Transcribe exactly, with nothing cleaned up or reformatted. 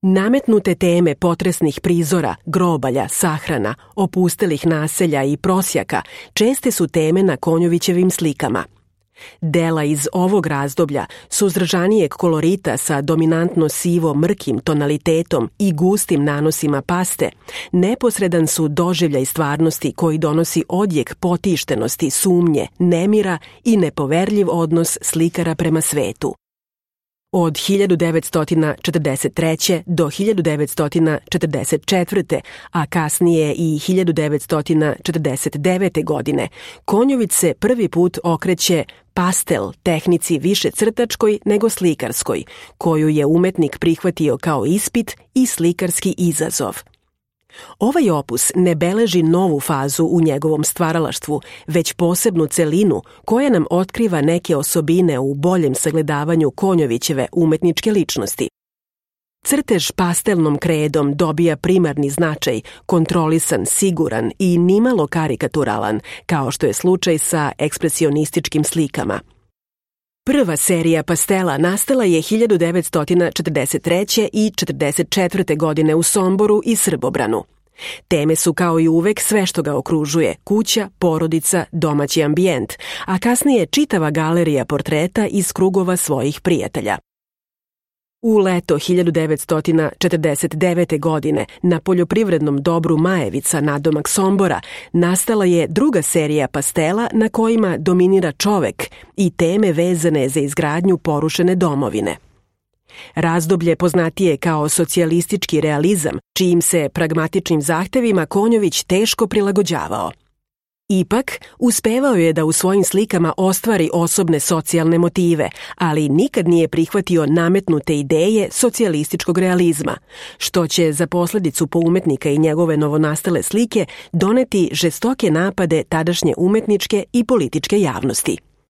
Nametnute teme potresnih prizora, grobalja, sahrana, opustelih naselja i prosjaka česte su teme na Konjovićevim slikama. Dela iz ovog razdoblja, suzdržanijeg kolorita sa dominantno sivo-mrkim tonalitetom i gustim nanosima paste, neposredan su doživljaj stvarnosti koji donosi odjek potištenosti, sumnje, nemira i nepoverljiv odnos slikara prema svetu. Od hiljadu devetsto četrdeset treće. do hiljadu devetsto četrdeset četvrte. a kasnije i hiljadu devetsto četrdeset devete. godine, Konjović se prvi put okreće pastel tehnici više crtačkoj nego slikarskoj, koju je umetnik prihvatio kao ispit i slikarski izazov. Ovaj opus ne beleži novu fazu u njegovom stvaralaštvu, već posebnu celinu koja nam otkriva neke osobine u boljem sagledavanju Konjovićeve umetničke ličnosti. Crtež pastelnom kredom dobija primarni značaj, kontrolisan, siguran i nimalo karikaturalan, kao što je slučaj sa ekspresionističkim slikama. Prva serija pastela nastala je hiljadu devetsto četrdeset treće. i četrdeset četvrte. godine u Somboru i Srbobranu. Teme su kao i uvek sve što ga okružuje, kuća, porodica, domaći ambijent, a kasnije čitava galerija portreta iz krugova svojih prijatelja. U leto hiljadu devetsto četrdeset devete. godine na poljoprivrednom dobru Majevica nadomak Sombora nastala je druga serija pastela na kojima dominira čovek i teme vezane za izgradnju porušene domovine. Razdoblje poznatije kao socijalistički realizam, čijim se pragmatičnim zahtevima Konjović teško prilagođavao. Ipak, uspevao je da u svojim slikama ostvari osobne socijalne motive, ali nikad nije prihvatio nametnute ideje socijalističkog realizma, što će za posledicu po umetnika i njegove novonastale slike doneti žestoke napade tadašnje umetničke i političke javnosti.